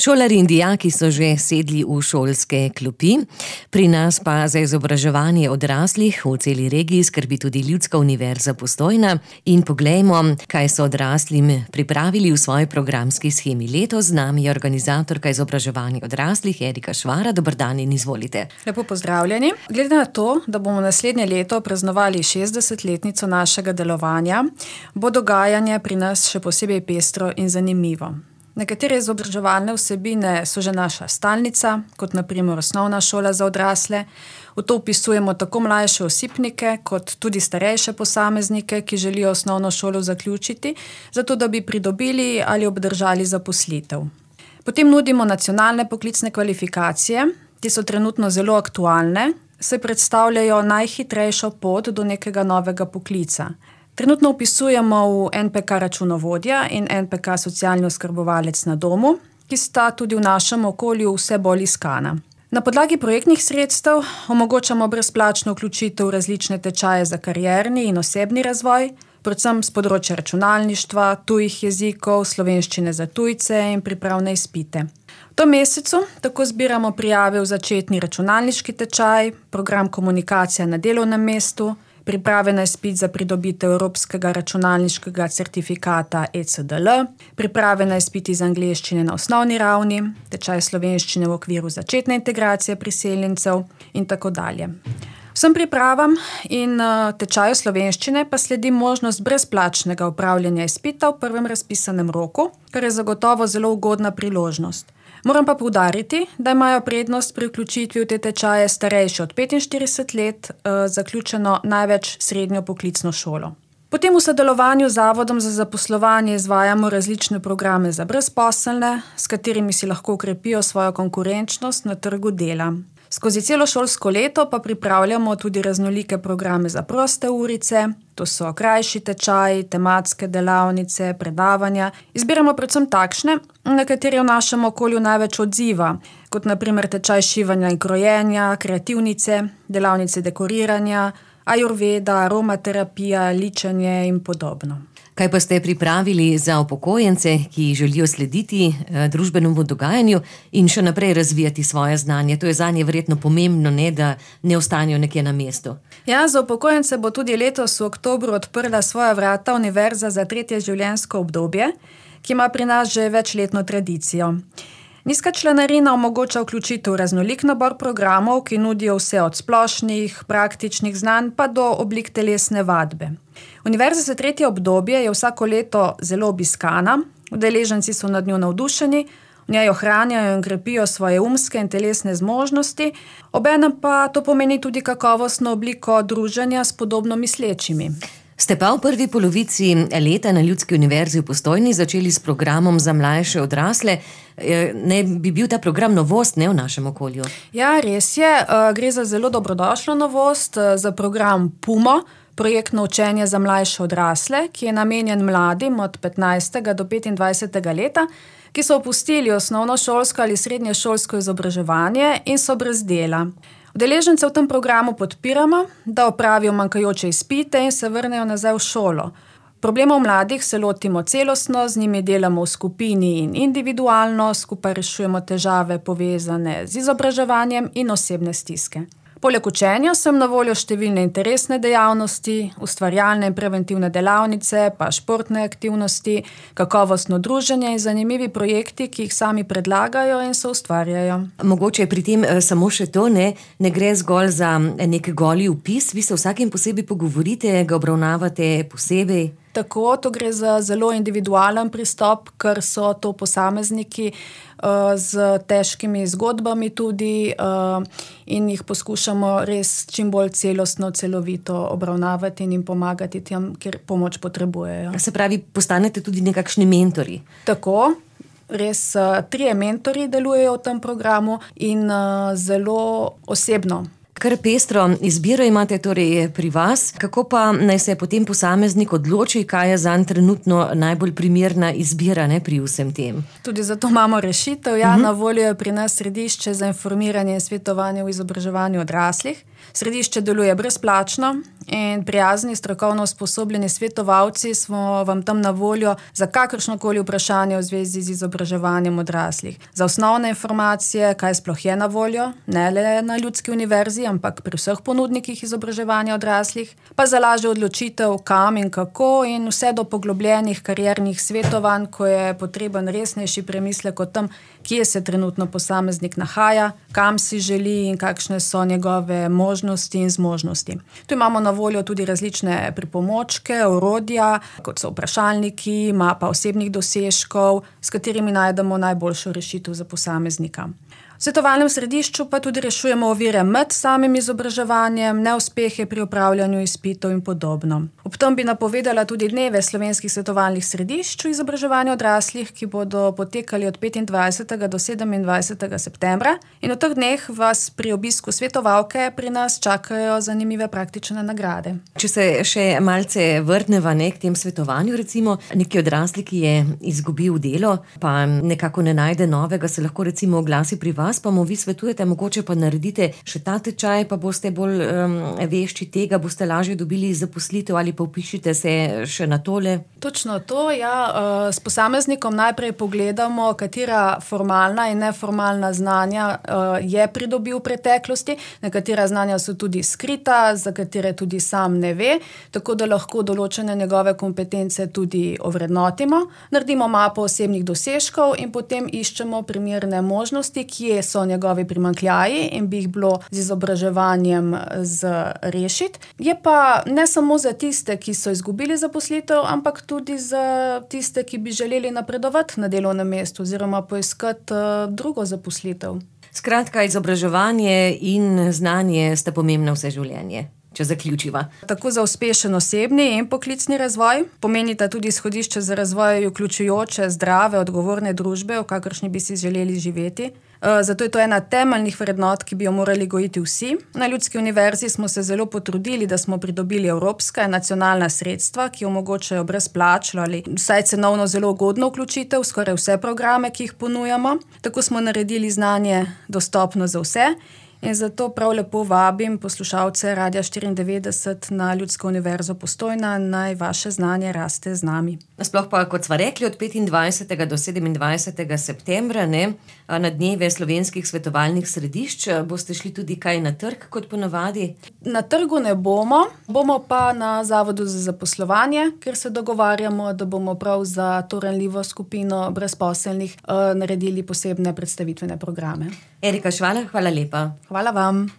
Šolarji in dijaki so že sedli v šolske klopi, pri nas pa za izobraževanje odraslih v celi regiji skrbi tudi Ljudska univerza Postojna. In poglejmo, kaj so odraslim pripravili v svoji programski shemi. Letos z nami je organizatorka izobraževanja odraslih Erika Švara. Dober dan in izvolite. Lepo pozdravljeni. Glede na to, da bomo naslednje leto praznovali 60-letnico našega delovanja, bo dogajanje pri nas še posebej pestro in zanimivo. Nekatere izobraževalne vsebine so že naša stalnica, kot na primer osnovna šola za odrasle. V to vpisujemo tako mlajše osipnike, kot tudi starejše posameznike, ki želijo osnovno šolo zaključiti, zato da bi pridobili ali obdržali zaposlitev. Potem nudimo nacionalne poklicne kvalifikacije, ki so trenutno zelo aktualne, saj predstavljajo najhitrejšo pot do nekega novega poklica. Trenutno vpisujemo v NPK računovodja in NPK socialni oskrbovalec na domu, ki sta tudi v našem okolju vse bolj iskana. Na podlagi projektnih sredstev omogočamo brezplačno vključitev v različne tečaje za karierni in osebni razvoj, predvsem z področja računalništva, tujih jezikov, slovenščine za tujce in pripravne izpite. V tem mesecu tako zbiramo prijave v začetni računalniški tečaj, program komunikacija na delovnem mestu, priprave na izpit za pridobitev evropskega računalniškega certifikata ECDL, priprave na izpit iz angleščine na osnovni ravni, tečaj slovenščine v okviru začetne integracije priseljencev in tako dalje. Vsem pripravam in tečaju slovenščine pa sledi možnost brezplačnega opravljanja izpita v prvem razpisanem roku, kar je zagotovo zelo ugodna priložnost. Moram pa poudariti, da imajo prednost pri vključitvi v te tečaje starejši od 45 let, zaključeno največ srednjo poklicno šolo. Potem v sodelovanju z Zavodom za zaposlovanje izvajamo različne programe za brezposelne, s katerimi si lahko okrepijo svojo konkurenčnost na trgu dela. Skozi celo šolsko leto pa pripravljamo tudi raznolike programe za proste urice, to so krajši tečaji, tematske delavnice, predavanja. Izbiramo predvsem takšne, na katere v našem okolju največ odziva, kot na primer tečaj šivanja in krojenja, kreativnice, delavnice dekoriranja, ajurveda, aromaterapija, ličenje in podobno. Kaj pa ste pripravili za upokojence, ki želijo slediti družbenemu dogajanju in še naprej razvijati svoje znanje? To je zanje verjetno pomembno, ne, da ne ostanejo nekje na mestu. Ja, za upokojence bo tudi letos v oktobru odprla svoja vrata Univerza za tretje življenjsko obdobje, ki ima pri nas že večletno tradicijo. Nizka članarina omogoča vključitev raznolik nabor programov, ki nudijo vse od splošnih, praktičnih znanj pa do oblik telesne vadbe. Univerza za tretje obdobje je vsako leto zelo obiskana, udeleženci so nad njo navdušeni, v njej ohranjajo in krepijo svoje umske in telesne zmožnosti, obenem pa to pomeni tudi kakovostno obliko druženja s podobno mislečimi. Ste pa v prvi polovici leta na Ljudski univerzi v Postojni začeli s programom za mlajše odrasle. Ne bi bil ta program novost, ne, v našem okolju? Ja, res je. Gre za zelo dobrodošlo novost, za program PUMO, projektno učenje za mlajše odrasle, ki je namenjen mladim od 15. do 25. leta, ki so opustili osnovnošolsko ali srednješolsko izobraževanje in so brez dela. Udeležence v tem programu podpiramo, da opravijo manjkajoče izpite in se vrnejo nazaj v šolo. Problemov mladih se lotimo celostno, z njimi delamo v skupini in individualno, skupaj rešujemo težave povezane z izobraževanjem in osebne stiske. Poleg učenja so jim na voljo številne interesne dejavnosti, ustvarjalne in preventivne delavnice, pa športne aktivnosti, kakovostno druženje in zanimivi projekti, ki jih sami predlagajo in se ustvarjajo. Mogoče je pri tem samo še to, ne gre zgolj za nek goli vpis, vi se vsakim posebej pogovorite, ga obravnavate posebej. Tako, to gre za zelo individualen pristop, ker so to posamezniki z težkimi zgodbami tudi in jih poskušamo res čim bolj celostno, celovito obravnavati in jim pomagati tam, kjer pomoč potrebujejo. Se pravi, postanete tudi nekakšni mentori? Tako, res 3 mentori delujejo v tem programu in zelo osebno Kar pestro izbiro imate torej pri vas, kako pa naj se potem posameznik odloči, kaj je zanj trenutno najbolj primerna izbira, ne, pri vsem tem? Tudi zato imamo rešitev. Na voljo je pri nas središče za informiranje in svetovanje v izobraževanju odraslih. Središče deluje brezplačno in prijazni, strokovno usposobljeni svetovalci smo vam tam na voljo za kakršnokoli vprašanje v zvezi z izobraževanjem odraslih. Za osnovne informacije, kaj sploh je na voljo, ne le na Ljudski univerzi, ampak pri vseh ponudnikih izobraževanja odraslih, pa za lažjo odločitev, kam in kako, in vse do poglobljenih kariernih svetovanj, ko je potreben resnejši premislek o tem, kje se trenutno posameznik nahaja, kam si želi in kakšne so njegove možnosti in zmožnosti. Tu imamo na voljo tudi različne pripomočke, orodja, kot so vprašalniki, mapa osebnih dosežkov, s katerimi najdemo najboljšo rešitev za posameznika. V svetovalnem središču pa tudi rešujemo ovire med samim izobraževanjem, neuspehe pri opravljanju izpitov in podobno. Ob tem bi napovedala tudi dneve slovenskih svetovalnih središč v izobraževanju odraslih, ki bodo potekali od 25. do 27. septembra, in v teh dneh vas pri obisku svetovalke pri nas čakajo zanimive praktične nagrade. Če se še malce vrneva k tem svetovanju, recimo neki odrasli, ki je izgubil delo, pa nekako ne najde novega, se lahko recimo oglasi pri vas, pa mu vi svetujete, mogoče pa naredite še ta tečaj, pa boste bolj vešči tega, boste lažje dobili zaposlitev, ali pa vpišite se še na tole? Točno to, ja. S posameznikom najprej pogledamo, katera formalna in neformalna znanja je pridobil v preteklosti, nekatera znanja so tudi skrita, za katere tudi sam ne ve, tako da lahko določene njegove kompetence tudi ovrednotimo, naredimo mapo osebnih dosežkov in potem iščemo primerne možnosti, kje so njegovi primanjkljaji in bi jih bilo z izobraževanjem rešiti. Je pa ne samo za tiste, ki so izgubili zaposlitev, ampak tudi za tiste, ki bi želeli napredovati na delovnem mestu oziroma poiskati drugo zaposlitev. Skratka, izobraževanje in znanje sta pomembna vse življenje. Če zaključiva. Tako za uspešen osebni in poklicni razvoj, pomenita tudi izhodišče za razvoj vključujoče, zdrave, odgovorne družbe, v kakršni bi si želeli živeti. Zato je to ena temeljnih vrednot, ki bi jo morali gojiti vsi. Na Ljudski univerzi smo se zelo potrudili, da smo pridobili evropska in nacionalna sredstva, ki omogočajo brezplačno ali vsaj cenovno zelo ugodno vključitev v skoraj vse programe, ki jih ponujamo. Tako smo naredili znanje dostopno za vse. In zato prav lepo vabim poslušalce Radia 94 na Ljudsko univerzo Postojna, naj vaše znanje raste z nami. Sploh pa, kot sva rekli, od 25. do 27. septembra, na dneve slovenskih svetovalnih središč, boste šli tudi kaj na trg, kot ponavadi? Na trgu ne bomo pa na Zavodu za zaposlovanje, ker se dogovarjamo, da bomo prav za to ranljivo skupino brezposelnih naredili posebne predstavitvene programe. Erika Švalar, hvala lepa. Hvala vam.